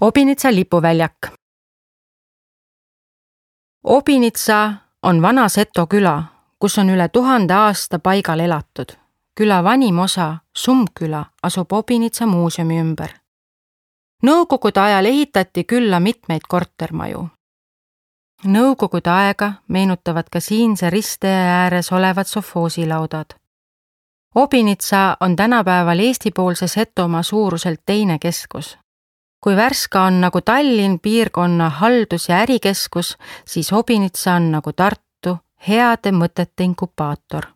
Obinitsa lipuväljak. Obinitsa on vana Seto küla, kus on üle 1000 aasta paigal elatud. Küla vanim osa, Sumbküla, asub Obinitsa muuseumi ümber. Nõukogude ajal ehitati külla mitmeid kortermaju. Nõukogude aega meenutavad ka siinse ristee ääres olevad sofoosilaudad. Obinitsa on tänapäeval Eesti-poolse Setomaa suuruselt teine keskus. Kui Värska on nagu Tallinn piirkonna haldus- ja ärikeskus, siis Obinitsa on nagu Tartu heade mõtete inkubaator.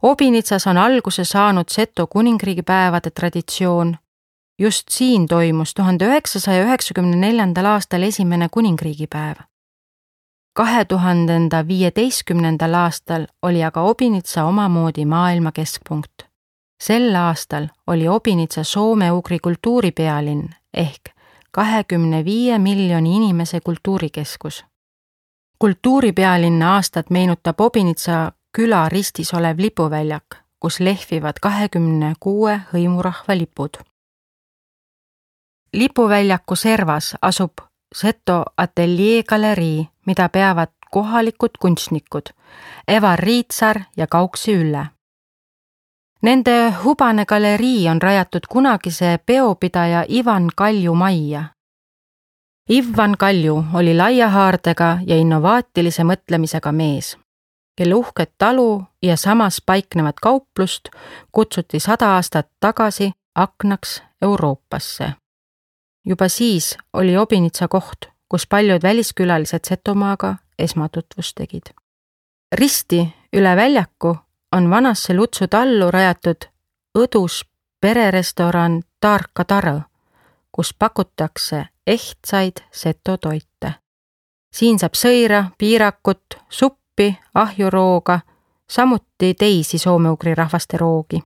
Obinitsas on alguse saanud Seto kuningriigipäevade traditsioon. Just siin toimus 1994. aastal esimene kuningriigipäev. 2015. aastal oli aga Obinitsa omamoodi maailma keskpunkt. Sel aastal oli Obinitsa soome-ugri kultuuripealinn ehk 25 miljoni inimese kultuurikeskus. Kultuuripealinna aastat meenutab Obinitsa küla ristis olev lipuväljak, kus lehvivad 26 hõimurahva lipud. Lipuväljaku servas asub Seto ateljee galerii, mida peavad kohalikud kunstnikud Evar Riitsar ja Kauksi Ülle. Nende hubane galerii on rajatud kunagise peopidaja Ivan Kalju majja. Ivan Kalju oli laia haardega ja innovaatilise mõtlemisega mees, kelle uhket talu ja samas paiknevat kauplust kutsuti 100 aastat tagasi aknaks Euroopasse. Juba siis oli Obinitsa koht, kus paljud väliskülalised Setomaaga esmatutvust tegid. Risti üle väljaku on vanasse Lutsu tallu rajatud õdus pererestoran Tarka Tarõ, kus pakutakse ehtsaid Seto toite. Siin saab sõira, piirakut, suppi, ahjurooga, samuti teisi soome-ugri rahvaste roogi.